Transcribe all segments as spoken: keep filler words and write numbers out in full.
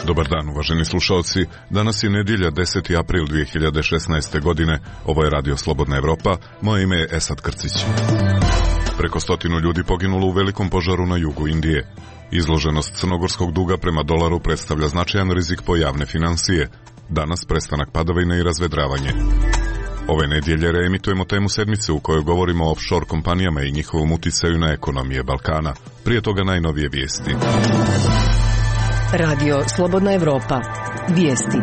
Dobar dan, uvaženi slušalci. Danas je nedjelja, deseti april dvije hiljade šesnaeste. godine. Ovo je Radio Slobodna Evropa. Moje ime je Esad Krcić. Preko stotinu ljudi poginulo u velikom požaru na jugu Indije. Izloženost crnogorskog duga prema dolaru predstavlja značajan rizik po javne financije. Danas prestanak padavina i razvedravanje. Ove nedjelje reemitujemo temu sedmice u kojoj govorimo o offshore kompanijama i njihovom uticaju na ekonomije Balkana. Prije toga najnovije vijesti. Radio Slobodna Evropa. Vijesti.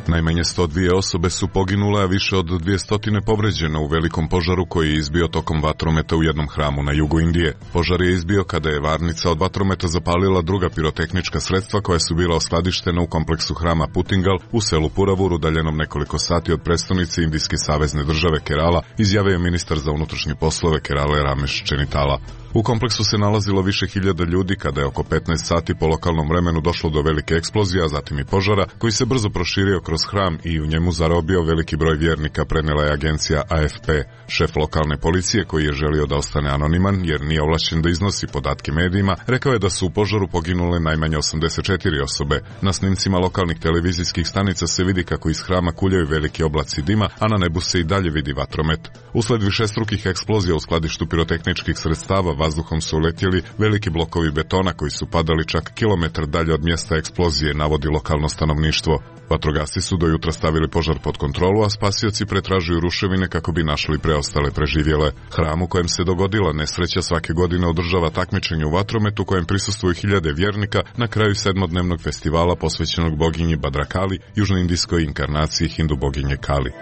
Najmanje sto dvije osobe su poginule, a više od dvjesto povređene u velikom požaru koji je izbio tokom vatrometa u jednom hramu na jugu Indije. Požar je izbio kada je varnica od vatrometa zapalila druga pirotehnička sredstva koja su bila oskladištena u kompleksu hrama Putingal u selu Puravur, udaljenom nekoliko sati od prestonice Indijske savezne države Kerala, izjavio je ministar za unutrašnje poslove Kerale Ramesh Čenitala. U kompleksu se nalazilo više hiljada ljudi kada je oko petnaest sati po lokalnom vremenu došlo do velike eksplozije, a zatim i požara koji se brzo proširio kroz hram i u njemu zarobio veliki broj vjernika, prenijela je agencija A F P. Šef lokalne policije, koji je želio da ostane anoniman jer nije ovlašćen da iznosi podatke medijima, rekao je da su u požaru poginule najmanje osamdeset četiri osobe. Na snimcima lokalnih televizijskih stanica se vidi kako iz hrama kuljaju veliki oblaci dima, a na nebu se i dalje vidi vatromet. Usled višestrukih eksplozija u skladištu pirotehničkih sredstava vazduhom su uletjeli veliki blokovi betona koji su padali čak kilometar dalje od mjesta eksplozije, navodi lokalno stanovništvo. Vatrogasci su do jutra stavili požar pod kontrolu, a spasioci pretražuju ruševine kako bi našli preostale preživjele. Hram u kojem se dogodila nesreća svake godine održava takmičenje u vatrometu kojem prisustvuju hiljade vjernika na kraju sedmodnevnog festivala posvećenog boginji Badrakali, južnoindijskoj inkarnaciji hindu boginje Kali.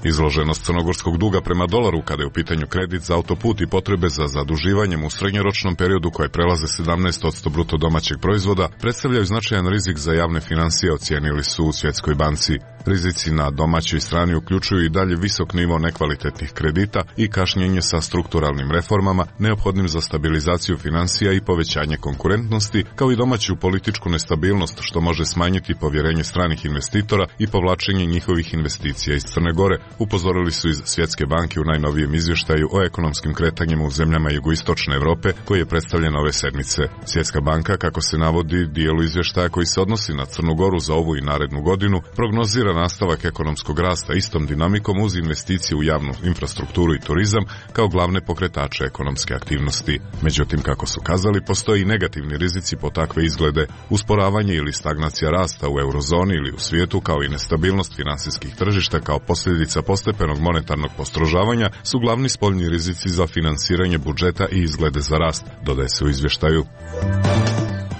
Izloženost crnogorskog duga prema dolaru kada je u pitanju kredit za autoput i potrebe za zaduživanjem u srednjoročnom periodu koje prelaze sedamnaest posto bruto domaćeg proizvoda predstavljaju značajan rizik za javne financije, ocijenili su u Svjetskoj banci. Rizici na domaćoj strani uključuju i dalje visok nivo nekvalitetnih kredita i kašnjenje sa strukturalnim reformama, neophodnim za stabilizaciju financija i povećanje konkurentnosti, kao i domaću političku nestabilnost što može smanjiti povjerenje stranih investitora i povlačenje njihovih investicija iz Crne Gore, upozorili su iz Svjetske banke u najnovijem izvještaju o ekonomskim kretanjima u zemljama jugoistočne Europe koji je predstavljen ove sedmice. Svjetska banka, kako se navodi, dijelu izvještaja koji se odnosi na Crnu Goru za ovu i narednu godinu, prognozira nastavak ekonomskog rasta istom dinamikom uz investicije u javnu infrastrukturu i turizam kao glavne pokretače ekonomske aktivnosti. Međutim, kako su kazali, postoji i negativni rizici po takve izglede. Usporavanje ili stagnacija rasta u eurozoni ili u svijetu, kao i nestabilnost financijskih tržišta kao posljedica postepenog monetarnog postrožavanja su glavni spoljni rizici za finansiranje budžeta i izglede za rast, dodaje se u izvještaju.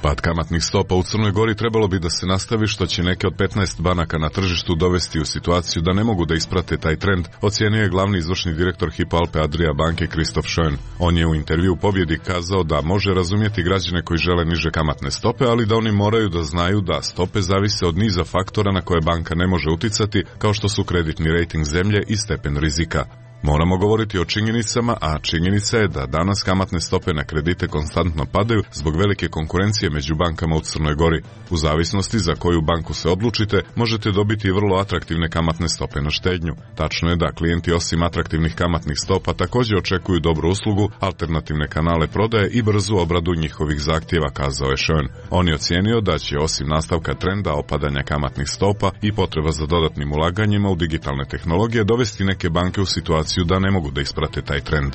Pad kamatnih stopa u Crnoj Gori trebalo bi da se nastavi, što će neke od petnaest banaka na tržištu dovesti u situaciju da ne mogu da isprate taj trend, ocijenio je glavni izvršni direktor Hypo Alpe Adria banke Christoph Schön. On je u intervju u Pobjedi kazao da može razumjeti građane koji žele niže kamatne stope, ali da oni moraju da znaju da stope zavise od niza faktora na koje banka ne može uticati, kao što su kreditni rejting zemlje i stepen rizika. Moramo govoriti o činjenicama, a činjenica je da danas kamatne stope na kredite konstantno padaju zbog velike konkurencije među bankama u Crnoj Gori. U zavisnosti za koju banku se odlučite, možete dobiti vrlo atraktivne kamatne stope na štednju. Tačno je da klijenti osim atraktivnih kamatnih stopa također očekuju dobru uslugu, alternativne kanale prodaje i brzu obradu njihovih zahtjeva, kazao je Schön. On je ocijenio da će osim nastavka trenda opadanja kamatnih stopa i potreba za dodatnim ulaganjima u digitalne tehnologije dovesti neke banke u situaciju da ne mogu da isprate taj trend.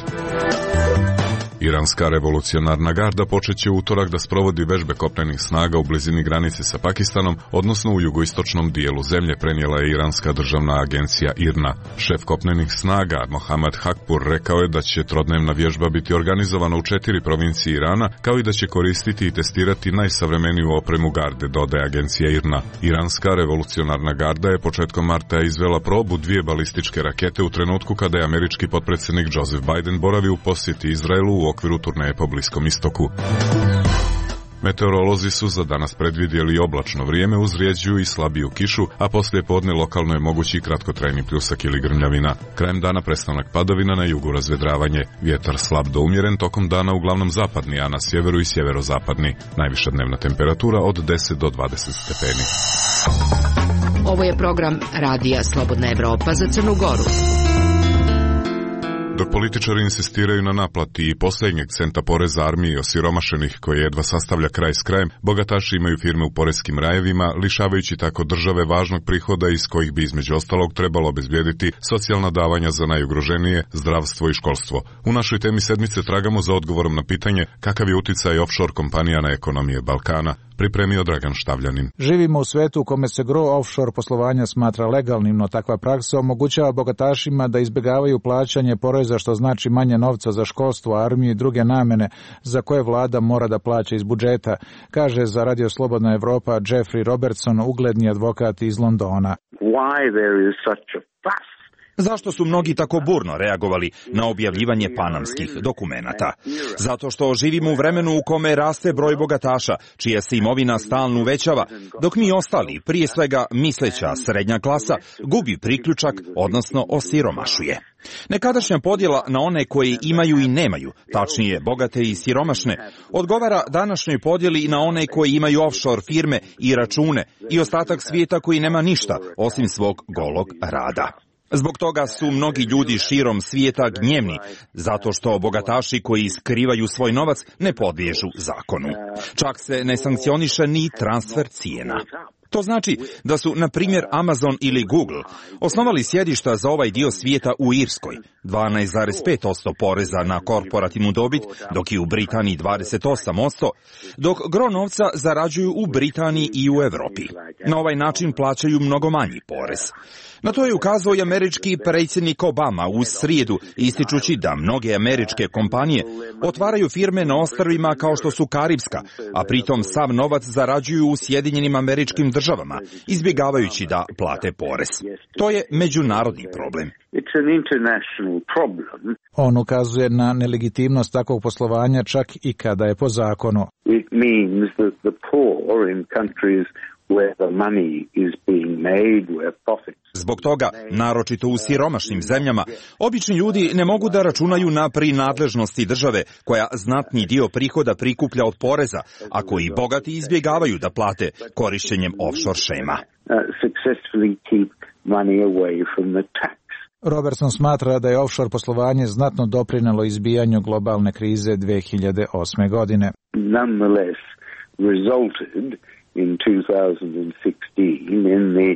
Iranska revolucionarna garda počeće u utorak da sprovodi vežbe kopnenih snaga u blizini granice sa Pakistanom, odnosno u jugoistočnom dijelu zemlje, prenijela je iranska državna agencija I R N A. Šef kopnenih snaga Mohammad Hakpur rekao je da će trodnevna vježba biti organizovana u četiri provincije Irana, kao i da će koristiti i testirati najsavremeniju opremu garde, dodaje agencija I R N A. Iranska revolucionarna garda je početkom marta izvela probu dvije balističke rakete u trenutku kada je američki potpredsjednik Joseph Biden boravi u posjeti Izraelu u okviru turneje po Bliskom istoku. Meteorolozi su za danas predvidjeli oblačno vrijeme uz rijeđu i slabiju kišu, a poslije podne lokalno je mogući kratkotrajni pljusak ili grmljavina. Krajem dana prestanak padavina, na jugu razvedravanje. Vjetar slab do umjeren, tokom dana uglavnom zapadni, a na sjeveru i sjeverozapadni. Najviša dnevna temperatura od deset do dvadeset stepeni. Ovo je program Radija Slobodna Evropa za Crnu Goru. Dok političari insistiraju na naplati i posljednjeg centa poreza armiji osiromašenih koji jedva sastavlja kraj s krajem, bogataši imaju firme u poreskim rajevima, lišavajući tako države važnog prihoda iz kojih bi između ostalog trebalo obezbijediti socijalna davanja za najugroženije, zdravstvo i školstvo. U našoj temi sedmice tragamo za odgovorom na pitanje kakav je uticaj offshore kompanija na ekonomije Balkana. Pripremio Dragan Štavljanin. Živimo u svetu u kome se gro offshore poslovanja smatra legalnim, no takva praksa omogućava bogatašima da izbjegavaju plaćanje poreza, što znači manje novca za školstvo, armiju i druge namene za koje vlada mora da plaća iz budžeta, kaže za Radio Slobodna Evropa Jeffrey Robertson, ugledni advokat iz Londona. Why there is such a fuss? Zašto su mnogi tako burno reagovali na objavljivanje panamskih dokumenata? Zato što živimo u vremenu u kome raste broj bogataša, čija se imovina stalno uvećava, dok mi ostali, prije svega misleća srednja klasa, gubi priključak, odnosno osiromašuje. Nekadašnja podjela na one koji imaju i nemaju, tačnije bogate i siromašne, odgovara današnjoj podjeli na one koji imaju offshore firme i račune i ostatak svijeta koji nema ništa osim svog golog rada. Zbog toga su mnogi ljudi širom svijeta gnjevni, zato što bogataši koji skrivaju svoj novac ne podliježu zakonu. Čak se ne sankcioniše ni transfer cijena. To znači da su, na primjer, Amazon ili Google osnovali sjedišta za ovaj dio svijeta u Irskoj, dvanaest zarez pet posto poreza na korporativnu dobit, dok je u Britaniji dvadeset osam posto, dok gro novca zarađuju u Britaniji i u Europi. Na ovaj način plaćaju mnogo manji porez. Na to je ukazao i američki predsjednik Obama u srijedu, ističući da mnoge američke kompanije otvaraju firme na ostrvima kao što su Karibska, a pritom sav novac zarađuju u Sjedinjenim Američkim Državama, izbjegavajući da plate porez. To je međunarodni problem. On ukazuje na nelegitimnost takvog poslovanja čak i kada je po zakonu. It means that the poor in countries where the money is being made, where profits. Zbog toga, naročito u siromašnim zemljama, obični ljudi ne mogu da računaju na prinadležnosti države koja znatni dio prihoda prikuplja od poreza, a koji bogati izbjegavaju da plate korišćenjem offshore šema. Robertson smatra da je offshore poslovanje znatno doprinelo izbijanju globalne krize dve hiljade osme. godine. Nonetheless, resulted in two thousand sixteen in the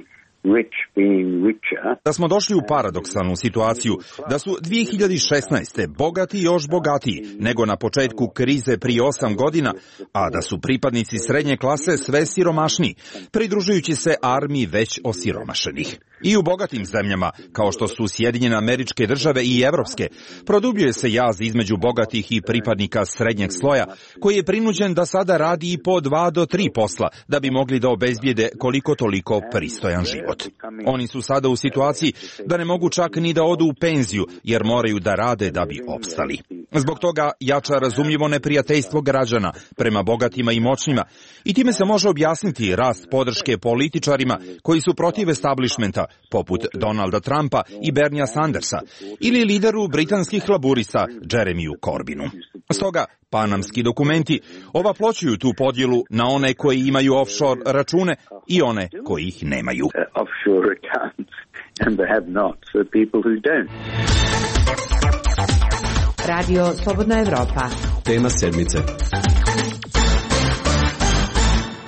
rich being richer. Da smo došli u paradoksalnu situaciju da su dvije hiljade šesnaeste. bogati još bogatiji nego na početku krize prije osam godina, a da su pripadnici srednje klase sve siromašniji, pridružujući se armiji već osiromašenih. I u bogatim zemljama, kao što su Sjedinjene Američke Države i evropske, produbljuje se jaz između bogatih i pripadnika srednjeg sloja, koji je prinuđen da sada radi i po dva do tri posla, da bi mogli da obezbijede koliko toliko pristojan život. Oni su sada u situaciji da ne mogu čak ni da odu u penziju, jer moraju da rade da bi opstali. Zbog toga jača razumljivo neprijateljstvo građana prema bogatima i moćnima, i time se može objasniti rast podrške političarima koji su protiv establishmenta, poput Donalda Trumpa i Bernija Sandersa, ili lideru britanskih laburista Jeremiju Corbinu. Stoga, panamski dokumenti ovaploćuju tu podjelu na one koji imaju offshore račune i one koji ih nemaju. Radio Slobodna Evropa. Tema sedmice.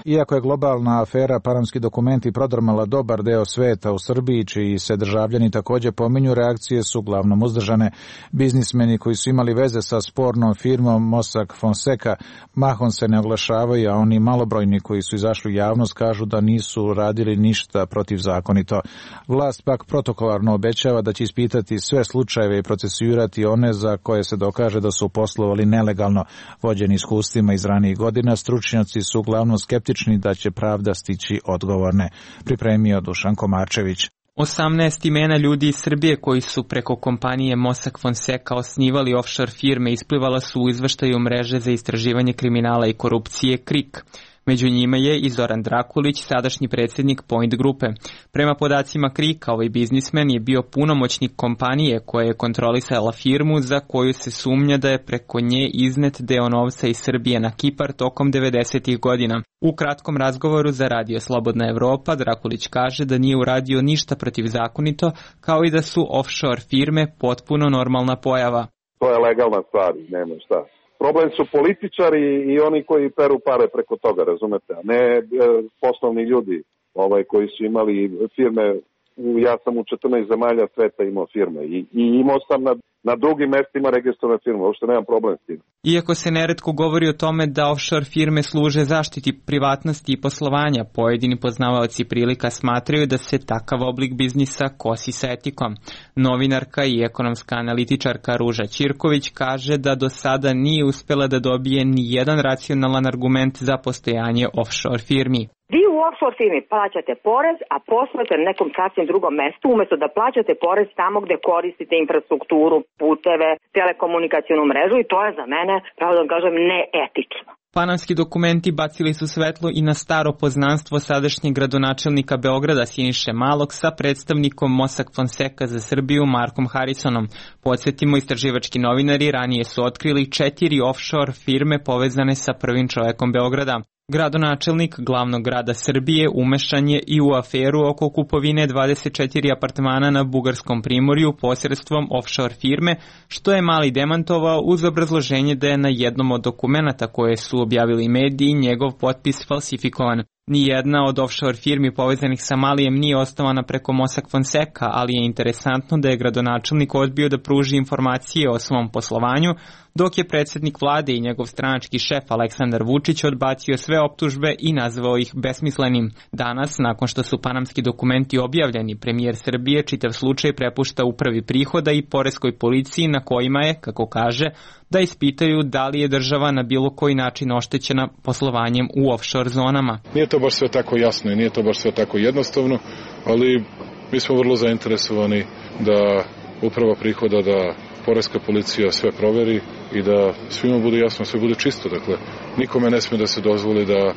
Iako je globalna afera panamski dokumenti prodrmala dobar deo sveta, u Srbiji, čiji se državljani također pominju, reakcije su uglavnom uzdržane. Biznismeni koji su imali veze sa spornom firmom Mossack Fonseca mahom se ne oglašavaju, a oni malobrojni koji su izašli u javnost kažu da nisu radili ništa protivzakonito. Vlast pak protokolarno obećava da će ispitati sve slučajeve i procesuirati one za koje se dokaže da su poslovali nelegalno. Vođeni iskustvima iz ranijih godina, stručnjaci su uglavnom skeptični da će pravda stići odgovorne. Pripremio Dušan Komarčević. osamnaest imena ljudi iz Srbije koji su preko kompanije Mossack Fonseca osnivali offshore firme isplivala su u izveštaju mreže za istraživanje kriminala i korupcije K R I K. Među njima je i Zoran Drakulić, sadašnji predsjednik Point grupe. Prema podacima Krika, ovaj biznismen je bio punomoćnik kompanije koja je kontrolisala firmu za koju se sumnja da je preko nje iznet deo novca iz Srbije na Kipar tokom devedesetih godina. U kratkom razgovoru za Radio Slobodna Evropa, Drakulić kaže da nije uradio ništa protivzakonito, kao i da su offshore firme potpuno normalna pojava. To je legalna stvar, nema šta. Problem su političari i oni koji peru pare preko toga, razumete, a ne e, poslovni ljudi ovaj, koji su imali firme. Ja sam u četrnaest zemalja sveta imao firme i, i imao sam na, na drugim mestima registrovane firme, uopšte nemam problem s tim. Iako se neretko govori o tome da offshore firme služe zaštiti privatnosti i poslovanja, pojedini poznavaoci prilika smatraju da se takav oblik biznisa kosi sa etikom. Novinarka i ekonomska analitičarka Ruža Ćirković kaže da do sada nije uspela da dobije ni jedan racionalan argument za postojanje offshore firmi. Vi u offshore firmi plaćate porez, a poslujete na nekom sasvim drugom mestu, umjesto da plaćate porez tamo gde koristite infrastrukturu, puteve, telekomunikacijonu mrežu i to je za mene, pravo da kažem, neetično. Panamski dokumenti bacili su svetlo i na staro poznanstvo sadašnjeg gradonačelnika Beograda Siniše Malog sa predstavnikom Mossack Fonseca za Srbiju Markom Harrisonom. Podsjetimo, istraživački novinari ranije su otkrili četiri offshore firme povezane sa prvim čovekom Beograda. Gradonačelnik glavnog grada Srbije umešan je i u aferu oko kupovine dvadeset četiri apartmana na Bugarskom primorju posredstvom offshore firme, što je Mali demantovao uz obrazloženje da je na jednom od dokumenata koje su objavili mediji njegov potpis falsifikovan. Nijedna od offshore firmi povezanih sa Malijem nije osnovana preko Mossack Fonseca, ali je interesantno da je gradonačelnik odbio da pruži informacije o svom poslovanju, dok je predsjednik vlade i njegov stranački šef Aleksandar Vučić odbacio sve optužbe i nazvao ih besmislenim. Danas, nakon što su panamski dokumenti objavljeni, premijer Srbije čitav slučaj prepušta upravi prihoda i poreskoj policiji na kojima je, kako kaže, da ispitaju da li je država na bilo koji način oštećena poslovanjem u offshore zonama. Nije to baš sve tako jasno i nije to baš sve tako jednostavno, ali mi smo vrlo zainteresovani da uprava prihoda, da poreska policija sve proveri i da svima bude jasno, sve bude čisto. Dakle, nikome ne smije da se dozvoli da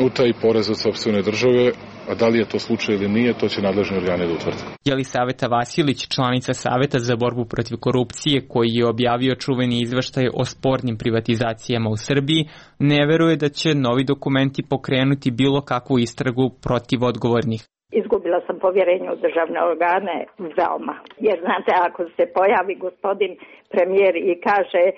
utaji porez od sopstvene države, a da li je to slučaj ili nije, to će nadležni organi da utvrde. Jelisaveta Vasilić, članica Saveta za borbu protiv korupcije, koji je objavio čuveni izveštaj o spornim privatizacijama u Srbiji, ne veruje da će novi dokumenti pokrenuti bilo kakvu istragu protiv odgovornih. Izgubila sam povjerenje u državne organe veoma. Jer znate, ako se pojavi gospodin premijer i kaže a,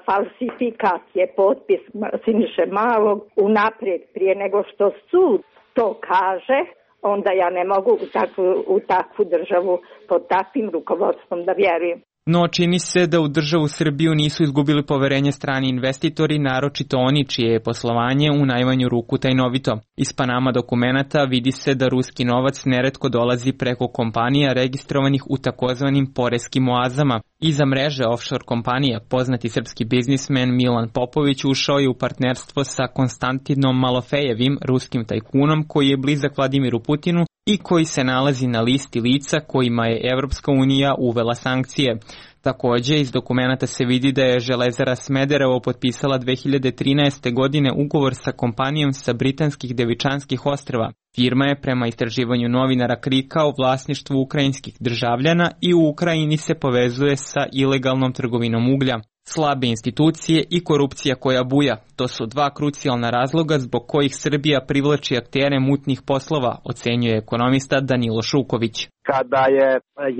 falsifikat je potpis Siniše Malog unaprijed prije nego što sud to kaže, onda ja ne mogu u takvu, u takvu državu pod takvim rukovodstvom da vjerujem. No čini se da u državu Srbiju nisu izgubili poverenje strani investitori, naročito oni čije je poslovanje u najmanju ruku tajnovito. Iz Panama dokumenata vidi se da ruski novac neretko dolazi preko kompanija registrovanih u takozvanim poreskim oazama. Iza mreže offshore kompanija poznati srpski biznismen Milan Popović ušao je u partnerstvo sa Konstantinom Malofejevim, ruskim tajkunom koji je blizak Vladimiru Putinu i koji se nalazi na listi lica kojima je Evropska unija uvela sankcije. Također, iz dokumenata se vidi da je Železara Smederevo potpisala dve hiljade trinaeste. godine ugovor sa kompanijom sa britanskih Devičanskih ostrva. Firma je prema istraživanju novinara Krika u vlasništvu ukrajinskih državljana i u Ukrajini se povezuje sa ilegalnom trgovinom uglja. Slabe institucije i korupcija koja buja, to su dva krucijalna razloga zbog kojih Srbija privlači aktere mutnih poslova, ocenjuje ekonomista Danilo Šuković. Kada je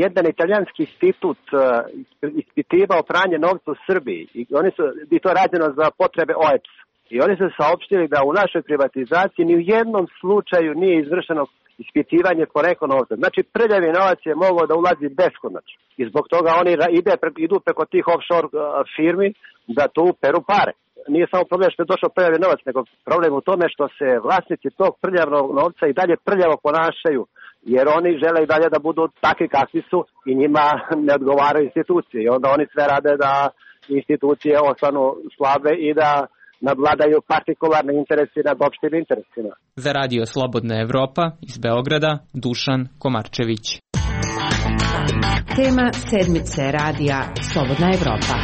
jedan italijanski institut ispitivao pranje novca u Srbiji, i oni su, i to rađeno za potrebe O E P S, i oni su saopštili da u našoj privatizaciji ni u jednom slučaju nije izvršeno ispitivanje porekla novca. Znači, prljavi novac je mogao da ulazi beskonačno. I zbog toga oni ide, idu preko tih offshore firmi da tu peru pare. Nije samo problem što je došao prljavi novac, nego problem u tome što se vlasnici tog prljavnog novca i dalje prljavo ponašaju, jer oni žele i dalje da budu takvi kakvi su i njima ne odgovaraju institucije. I onda oni sve rade da institucije ostanu slabe i da nadvladaju partikularne interesi nad opštim interesima. Za Radio Slobodna Evropa iz Beograda, Dušan Komarčević. Tema sedmice Radija Slobodna Evropa.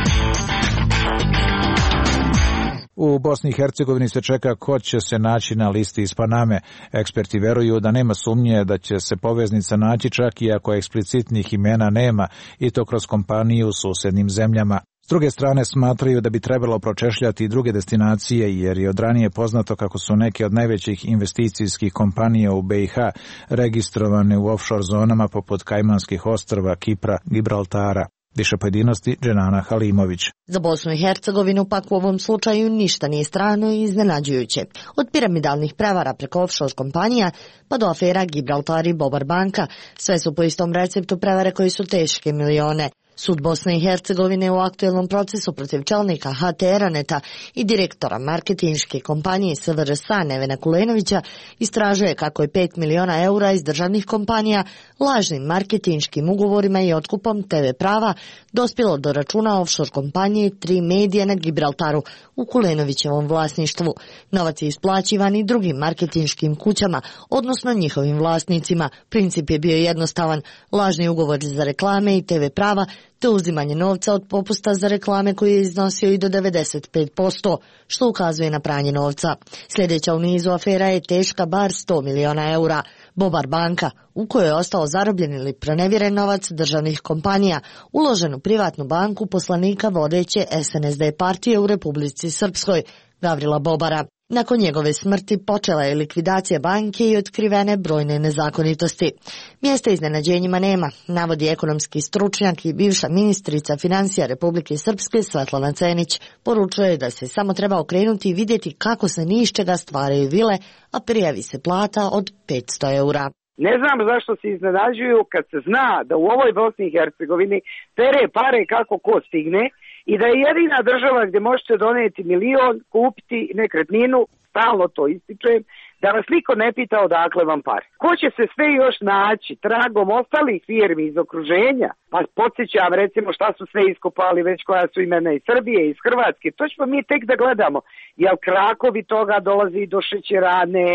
U Bosni i Hercegovini se čeka ko će se naći na listi iz Paname. Eksperti veruju da nema sumnje da će se poveznica naći čak i ako eksplicitnih imena nema, i to kroz kompaniju u susednim zemljama. S druge strane smatraju da bi trebalo pročešljati i druge destinacije, jer je od ranije poznato kako su neke od najvećih investicijskih kompanija u be i ha registrovane u offshore zonama poput Kajmanskih ostrva, Kipra, Gibraltara. Više pojedinosti Dženana Halimović. Za Bosnu i Hercegovinu pak u ovom slučaju ništa nije strano i iznenađujuće. Od piramidalnih prevara preko offshore kompanija pa do afera Gibraltar i Bobar banka, sve su po istom receptu prevare koji su teške milione. Sud Bosne i Hercegovine u aktuelnom procesu protiv čelnika ha te Eroneta i direktora marketinške kompanije es ve er es a Nevena Kulenovića istražuje kako je pet miliona eura iz državnih kompanija lažnim marketinškim ugovorima i otkupom te ve prava dospjelo do računa offshore kompanije Tri Medije na Gibraltaru u Kulenovićevom vlasništvu. Novac je isplaćivan i drugim marketinškim kućama, odnosno njihovim vlasnicima. Princip je bio jednostavan: lažni ugovori za reklame i te ve prava te uzimanje novca od popusta za reklame koji je iznosio i do devedeset pet posto, što ukazuje na pranje novca. Sljedeća u nizu afera je teška bar sto miliona eura. Bobar banka, u kojoj je ostao zarobljen ili pronevjeren novac državnih kompanija, uložen u privatnu banku poslanika vodeće es en es de partije u Republici Srpskoj, Gavrila Bobara. Nakon njegove smrti počela je likvidacija banke i otkrivene brojne nezakonitosti. Mjesta iznenađenjima nema, navodi ekonomski stručnjak i bivša ministrica financija Republike Srpske Svetlana Cenić. Poručuje da se samo treba okrenuti i vidjeti kako se ni iz čega stvaraju vile, a prijavi se plata od petsto eura. Ne znam zašto se iznenađuju kad se zna da u ovoj Bosni i Hercegovini pere pare kako ko stigne i da je jedina država gdje možete donijeti milion, kupiti nekretninu, stalno to ističujem, da vas niko ne pita odakle vam pare. Ko će se sve još naći tragom ostalih firmi iz okruženja? Pa podsjećam recimo šta su sve iskopali već koja su imena iz Srbije, iz Hrvatske. To ćemo mi tek da gledamo. Jel krakovi toga dolazi do šećerane,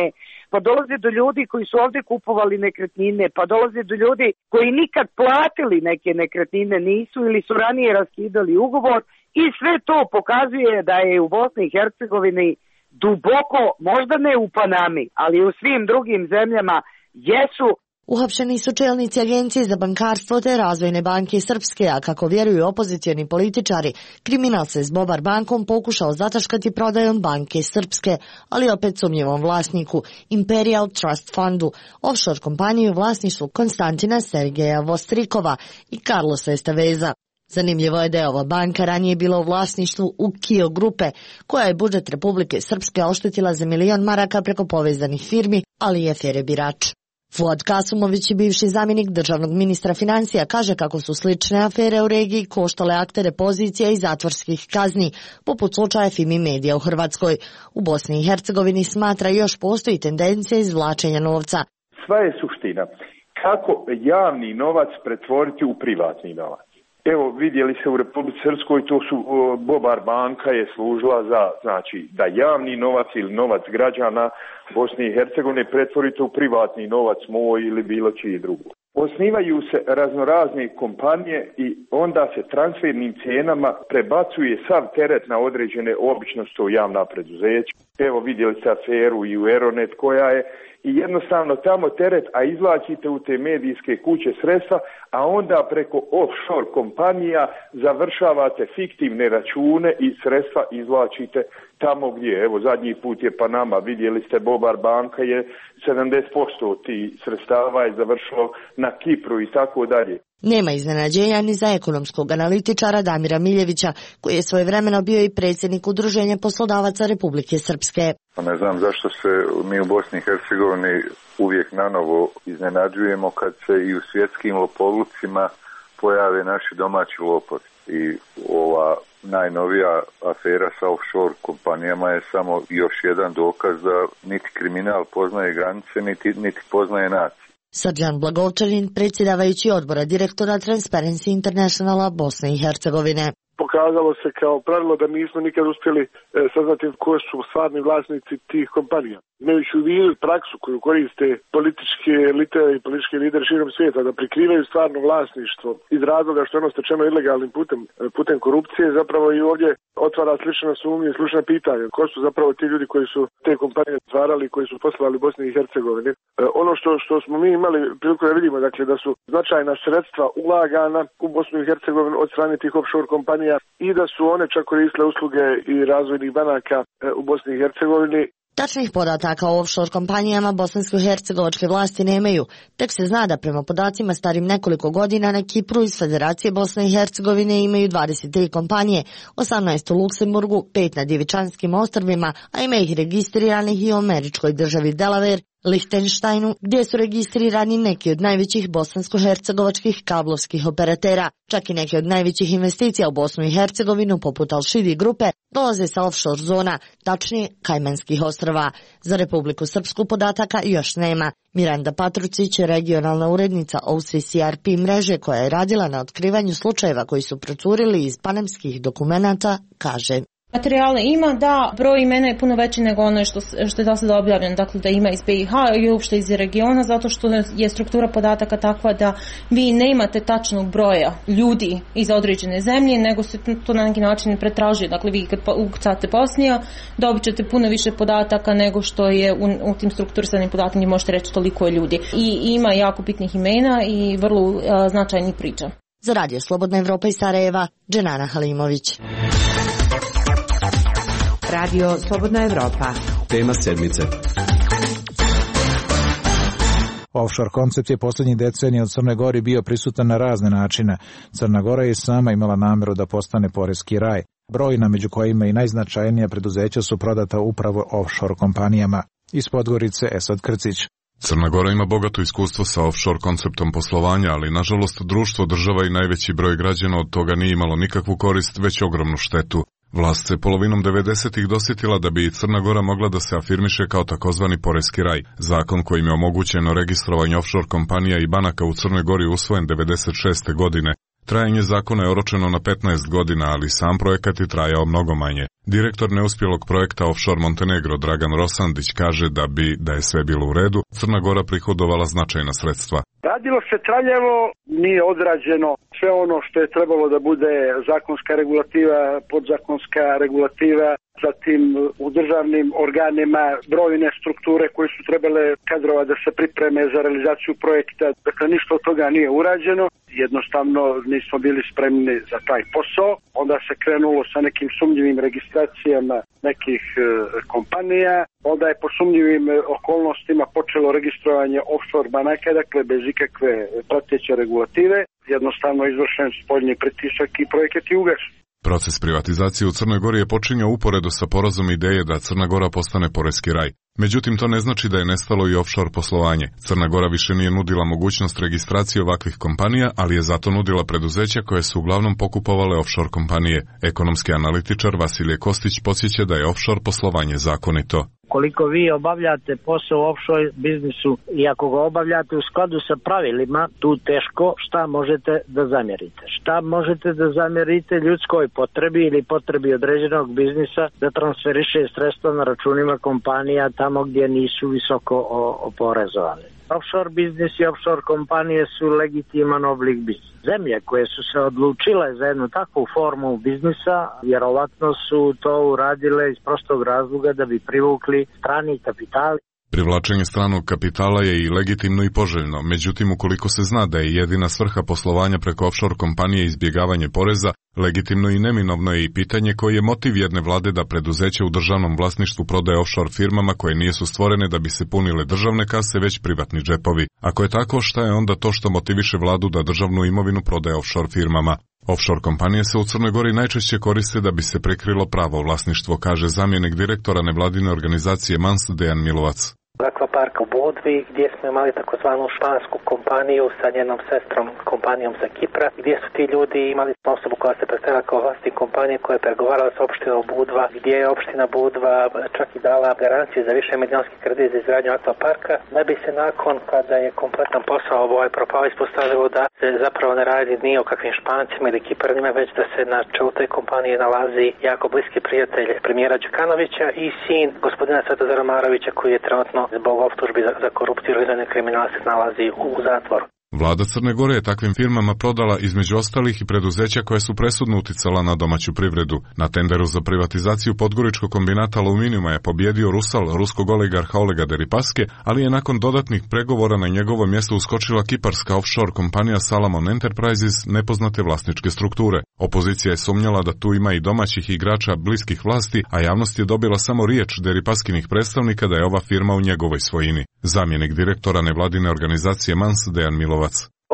pa dolazi do ljudi koji su ovdje kupovali nekretnine, pa dolazi do ljudi koji nikad platili neke nekretnine nisu ili su ranije raskidali ugovor, i sve to pokazuje da je u Bosni i Hercegovini duboko, možda ne u Panami, ali u svim drugim zemljama jesu. Uhapšeni su čelnici Agencije za bankarstvo te Razvojne banke Srpske, a kako vjeruju opozicioni političari, kriminal se s Bobar bankom pokušao zataškati prodajom banke Srpske, ali opet sumnjivom vlasniku, Imperial Trust Fundu, offshore kompaniju u vlasništvu Konstantina Sergeja Vostrikova i Carlosa Esteveza. Zanimljivo je da je ova banka ranije bila u vlasništvu u Kio grupe, koja je budžet Republike Srpske oštetila za milion maraka preko povezanih firmi, ali i afere Birač. Fuad Kasumović, bivši zamjenik državnog ministra financija, kaže kako su slične afere u regiji koštale aktere pozicija i zatvorskih kazni, poput slučaja Fimi Medija u Hrvatskoj. U Bosni i Hercegovini smatra još postoji tendencija izvlačenja novca. Sva je suština kako javni novac pretvoriti u privatni novac. Evo, vidjeli se u Republici Srpskoj, to su Bobar banka je služila za, znači, da javni novac ili novac građana Bosne i Hercegovine pretvorite u privatni novac moj ili bilo čiji drugo. Osnivaju se raznorazne kompanije i onda se transfernim cijenama prebacuje sav teret na određene, obično su to javna preduzeća. Evo, vidjeli ste aferu i u Eronet koja je, i jednostavno tamo teret, a izvlačite u te medijske kuće sredstva, a onda preko offshore kompanija završavate fiktivne račune i sredstva izvlačite tamo gdje. Evo, zadnji put je Panama, vidjeli ste, Bobar banka je sedamdeset posto tih sredstava je završilo na Kipru i tako dalje. Nema iznenađenja ni za ekonomskog analitičara Damira Miljevića, koji je svojevremeno bio i predsjednik Udruženja poslodavaca Republike Srpske. Ne znam zašto se mi u Bosni i Hercegovini uvijek nanovo iznenađujemo kad se i u svjetskim lopovlucima pojave naši domaći lopovi. I ova najnovija afera sa offshore kompanijama je samo još jedan dokaz da niti kriminal poznaje granice, niti, niti poznaje nacije. Srđan Blagovčanin, predsjedavajući odbora direktora Transparency Internationala Bosne i Hercegovine. Pokazuje pokazalo se kao pravilo da nismo nikad uspjeli e, saznati ko su stvarni vlasnici tih kompanija. Imajući u vidu praksu koju koriste političke elite i politički lideri širom svijeta da prikrivaju stvarno vlasništvo iz razloga što je ono stečeno ilegalnim putem, putem korupcije, zapravo i ovdje otvara slična sumnja i slična pitanja. Ko su zapravo ti ljudi koji su te kompanije stvarali, koji su poslovali Bosni i Hercegovini. E, ono što, što smo mi imali priliku da vidimo, dakle, da su značajna sredstva ulagana u Bosnu i Hercegovinu od strane tih offshore kompanija i da su one čak koristile usluge i razvojnih banaka e, u Bosni i Hercegovini. Tačnih podataka o offshore kompanijama bosansko-hercegovačke vlasti nemaju. Tek se zna da prema podacima starim nekoliko godina na Kipru iz Federacije Bosne i Hercegovine imaju dvadeset tri kompanije, osamnaest u Luksemburgu, pet na Djevičanskim ostrvima, a ima ih registriranih i u američkoj državi Delaware, Lihtenštajnu, gdje su registrirani neki od najvećih bosansko-hercegovačkih kablovskih operatera. Čak i neki od najvećih investicija u Bosnu i Hercegovinu, poput Al-Shidi grupe, dolaze sa offshore zona, tačnije Kajmanskih ostrva. Za Republiku Srpsku podataka još nema. Miranda Patrucić, regionalna urednica O C C R P mreže koja je radila na otkrivanju slučajeva koji su procurili iz panamskih dokumenata, kaže: Materijale ima, da, broj imena je puno veći nego ono što, što je do sada objavljeno, dakle da ima iz B i H i uopšte iz regiona, zato što je struktura podataka takva da vi ne imate tačnog broja ljudi iz određene zemlje, nego se to na neki način pretražuje. Dakle, vi kad ukucate Bosnija, dobit ćete puno više podataka nego što je u, u tim strukturisanim podataka, možete reći toliko je ljudi. I ima jako bitnih imena i vrlo a, značajnih priča. Za Radio Slobodna Evropa iz Sarajeva, Dženana Halimović. Radio Slobodna Evropa. Tema sedmice. Offshore koncept je posljednjih decenija u Crnoj Gori bio prisutan na razne načine. Crna Gora je sama imala namjeru da postane poreski raj. Brojna, među kojima i najznačajnija preduzeća, su prodata upravo offshore kompanijama. Iz Podgorice, Esad Krcić. Crna Gora ima bogato iskustvo sa offshore konceptom poslovanja, ali nažalost društvo, država i najveći broj građana od toga nije imalo nikakvu korist, već ogromnu štetu. Vlast se polovinom devedesetih dosjetila da bi i Crna Gora mogla da se afirmiše kao takozvani poreski raj. Zakon kojim je omogućeno registrovanje offshore kompanija i banaka u Crnoj Gori usvojen devedeset šeste godine. Trajanje zakona je oročeno na petnaest godina, ali sam projekat je trajao mnogo manje. Direktor neuspjelog projekta Offshore Montenegro Dragan Rosandić kaže da bi, da je sve bilo u redu, Crna Gora prihodovala značajna sredstva. Radilo se traljavo, nije odrađeno sve ono što je trebalo da bude zakonska regulativa, podzakonska regulativa, zatim u državnim organima brojne strukture koje su trebale kadrova da se pripreme za realizaciju projekta. Dakle, ništa od toga nije urađeno, jednostavno nismo bili spremni za taj posao. Onda se krenulo sa nekim sumnjivim registracijama nekih e, kompanija, onda je po sumnjivim okolnostima počelo registrovanje offshore banaka, dakle bez ikakve prateće regulative, jednostavno izvršen spoljni pritisak i projekat je ugašen. Proces privatizacije u Crnoj Gori je počinjao uporedo sa porazom ideje da Crna Gora postane poreski raj. Međutim, to ne znači da je nestalo i offshore poslovanje. Crna Gora više nije nudila mogućnost registracije ovakvih kompanija, ali je zato nudila preduzeća koje su uglavnom pokupovale offshore kompanije. Ekonomski analitičar Vasilije Kostić podsjeća da je offshore poslovanje zakonito. Koliko vi obavljate posao u offshore biznisu i ako ga obavljate u skladu sa pravilima, tu teško šta možete da zamjerite. Šta možete da zamjerite ljudskoj potrebi ili potrebi određenog biznisa da transferiše sredstva na računima kompanija tamo gdje nisu visoko oporezovane. Offshore biznis i offshore kompanije su legitiman oblik biznisa. Zemlje koje su se odlučile za jednu takvu formu biznisa, vjerovatno su to uradile iz prostog razloga da bi privukli strani kapital. Privlačenje stranog kapitala je i legitimno i poželjno, međutim ukoliko se zna da je jedina svrha poslovanja preko offshore kompanije izbjegavanje poreza, legitimno i neminovno je i pitanje koji je motiv jedne vlade da preduzeće u državnom vlasništvu prodaje offshore firmama koje nisu stvorene da bi se punile državne kase, već privatni džepovi. Ako je tako, šta je onda to što motiviše vladu da državnu imovinu prodaje offshore firmama? Offshore kompanije se u Crnoj Gori najčešće koriste da bi se prikrilo pravo vlasništvo, kaže zamjenik direktora nevladine organizacije Mans Dejan Milovac. Akvapark u Budvi, gdje smo imali takozvanu špansku kompaniju sa njenom sestrom kompanijom sa Kipra, gdje su ti ljudi imali osobu koja se predstavila kao vlasnik kompanije koja je pregovarala s opštinom Budva, gdje je opština Budva čak i dala garanciju za više milijonski kredit za izgradnju akvaparka, da bi se nakon kada je kompletan posao ovaj propao ispostavilo da se zapravo ne radi ni o kakvim Špancima ili Kipranima, već da se na čelu te kompanije nalazi jako bliski prijatelj premijera Đukanovića i sin gospodina Svetozara Marovića koji je trenutno zbog optužbi za, za korupciju i organizovani kriminal se nalazi u, u zatvoru. Vlada Crne Gore je takvim firmama prodala između ostalih i preduzeća koje su presudno uticala na domaću privredu. Na tenderu za privatizaciju podgoričkog kombinata aluminijuma je pobjedio Rusal, ruskog oligarha Olega Deripaske, ali je nakon dodatnih pregovora na njegovo mjesto uskočila kiparska offshore kompanija Salomon Enterprises nepoznate vlasničke strukture. Opozicija je sumnjala da tu ima i domaćih igrača bliskih vlasti, a javnost je dobila samo riječ Deripaskinih predstavnika da je ova firma u njegovoj svojini. Zamjenik direktora nevladine organizacije Mans Dejan Milovac.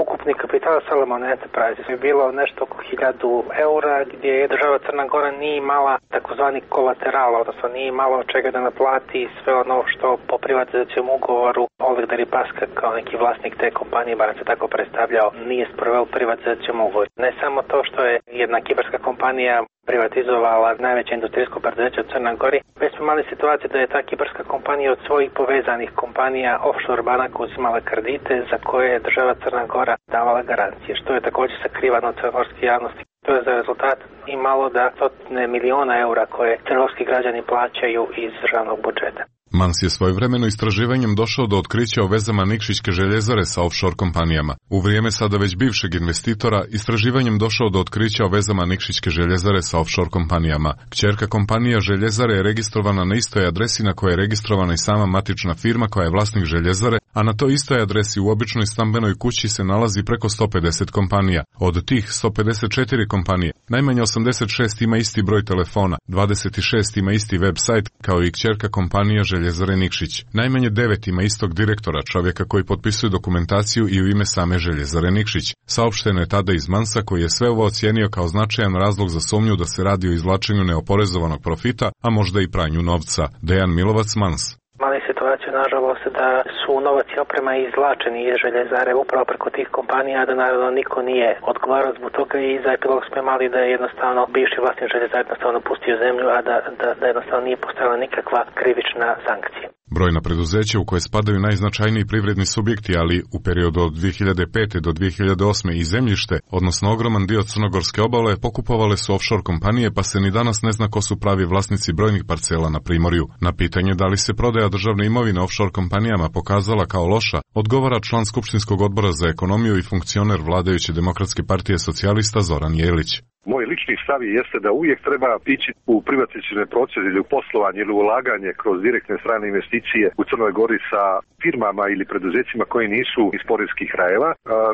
Ukupni kapital Salomon Enterprises je bilo nešto oko hiljadu eura, gdje je država Crna Gora nije imala takozvani kolateral, odnosno nije imala od čega da naplati sve ono što po privatizacijom ugovoru Oleg Deripaska kao neki vlasnik te kompanije, barem se tako predstavljao, nije sproveo privatizacijom ugovor. Ne samo to što je jedna kiparska kompanija privatizovala najveće industrijsko preduzeće u Crnoj Gori, već smo imali situaciju da je ta kiparska kompanija od svojih povezanih kompanija offshore banaka uzimala kredite za koje je država Crna Gora davala garancije, što je također sakrivano od crnogorske javnosti. To je za rezultat imalo da stotine miliona eura koje crnogorski građani plaćaju iz državnog budžeta. Mans je svojevremeno istraživanjem došao do otkrića o vezama Nikšićke željezare sa offshore kompanijama. U vrijeme sada već bivšeg investitora, istraživanjem došao do otkrića o vezama Nikšićke željezare sa offshore kompanijama. Kćerka kompanija željezare je registrovana na istoj adresi na kojoj je registrovana i sama matična firma koja je vlasnik željezare, a na toj istoj adresi u običnoj stambenoj kući se nalazi preko sto pedeset kompanija. Od tih sto pedeset četiri kompanije, najmanje osamdeset šest ima isti broj telefona, dvadeset šest ima isti web sajt kao i kćerka kompanija Željezare Nikšić. Najmanje devet ima istog direktora, čovjeka koji potpisuje dokumentaciju i u ime same Željezare Nikšić. Saopšteno je tada iz Mansa koji je sve ovo ocijenio kao značajan razlog za sumnju da se radi o izvlačenju neoporezovanog profita, a možda i pranju novca. Dejan Milovac, Mans. Mali situaciju, nažalost, da su novac i oprema izvlačeni iz željezare upravo preko tih kompanija, da naravno niko nije odgovarao zbog toga i za epilog smo imali da je jednostavno bivši vlasnik željezare jednostavno napustio zemlju, a da, da, da jednostavno nije postojala nikakva krivična sankcija. Brojna preduzeća u koje spadaju najznačajniji privredni subjekti, ali u periodu od dvije hiljade pete do dvije hiljade osme i zemljište, odnosno ogroman dio crnogorske obale, pokupovale su offshore kompanije, pa se ni danas ne zna ko su pravi vlasnici brojnih parcela na Primorju. Na pitanje da li se prodaja državne imovine offshore kompanijama pokazala kao loša, odgovara član Skupštinskog odbora za ekonomiju i funkcioner vladajuće Demokratske partije socijalista Zoran Jelić. Moj lični stav jeste da uvijek treba ići u privatizacione procese ili u poslovanje ili ulaganje kroz direktne strane investicije u Crnoj Gori sa firmama ili preduzećima koji nisu iz poreskih krajeva.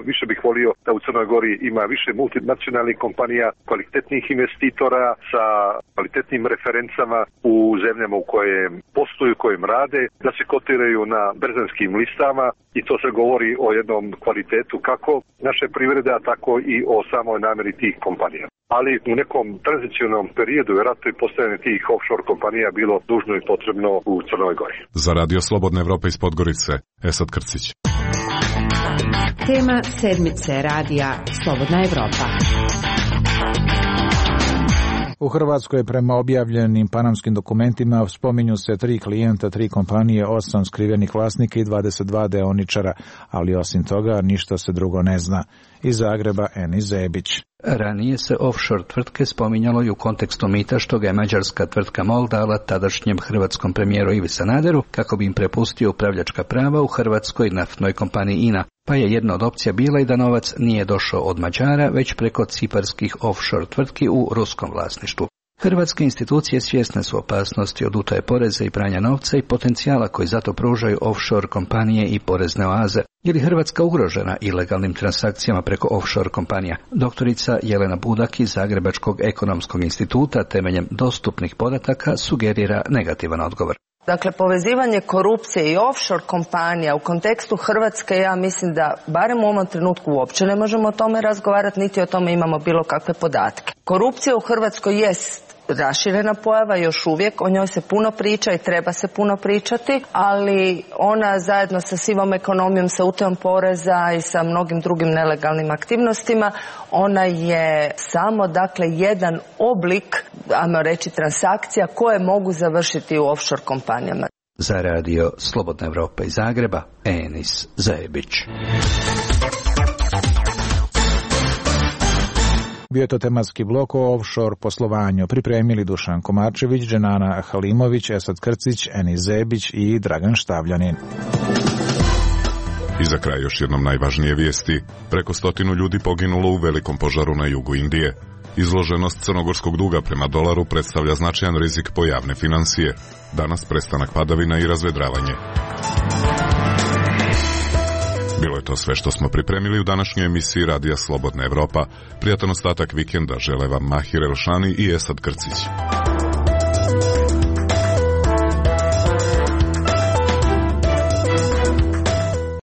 Više bih volio da u Crnoj Gori ima više multinacionalnih kompanija, kvalitetnih investitora sa kvalitetnim referencama u zemljama u kojem posluju, kojem rade, da se kotiraju na berzanskim listama i to se govori o jednom kvalitetu kako naše privrede, a tako i o samoj namjeri tih kompanija. Ali u nekom tranzicionalnom periodu vjerojatno i postojanje tih offshore kompanija bilo dužno i potrebno u Crnoj Gori. Za Radio Slobodna Evropa iz Podgorice, Esad Krcić. Tema sedmice radija Slobodna Evropa. U Hrvatskoj prema objavljenim panamskim dokumentima spominju se tri klijenta, tri kompanije, osam skrivenih vlasnika i dvadeset dva deoničara, ali osim toga ništa se drugo ne zna. Iz Zagreba, Eni Zebić. Ranije se offshore tvrtke spominjalo i u kontekstu mita što ga je mađarska tvrtka MOL dala tadašnjem hrvatskom premijeru Ivi Sanaderu kako bi im prepustio upravljačka prava u hrvatskoj naftnoj kompaniji I N A, pa je jedna od opcija bila i da novac nije došao od Mađara, već preko ciparskih offshore tvrtki u ruskom vlasništvu. Hrvatske institucije svjesne su opasnosti od utaje poreza i pranja novca i potencijala koji zato pružaju offshore kompanije i porezne oaze. Je li Hrvatska ugrožena ilegalnim transakcijama preko offshore kompanija? Doktorica Jelena Budak iz Zagrebačkog ekonomskog instituta temeljem dostupnih podataka sugerira negativan odgovor. Dakle, povezivanje korupcije i offshore kompanija u kontekstu Hrvatske, ja mislim da barem u ovom trenutku uopće ne možemo o tome razgovarati, niti o tome imamo bilo kakve podatke. Korupcija u Hrvatskoj jest raširena pojava, još uvijek o njoj se puno priča i treba se puno pričati, ali ona zajedno sa sivom ekonomijom, sa utajom poreza i sa mnogim drugim nelegalnim aktivnostima, ona je samo dakle jedan oblik, ajmo reći, transakcija koje mogu završiti u offshore kompanijama. Za radio Slobodna Evropa iz Zagreba, Enis Zajebić. Bio je to tematski blok o offshore poslovanju. Pripremili Dušan Komarčević, Dženana Halimović, Esad Krcić, Enis Zebić i Dragan Štavljanin. I za kraj još jednom najvažnije vijesti. Preko stotinu ljudi poginulo u velikom požaru na jugu Indije. Izloženost crnogorskog duga prema dolaru predstavlja značajan rizik po javne financije. Danas prestanak padavina i razvedravanje. Bilo je to sve što smo pripremili u današnjoj emisiji Radija Slobodna Evropa. Prijatan ostatak vikenda žele vam Mahir Elšani i Esad Krcić.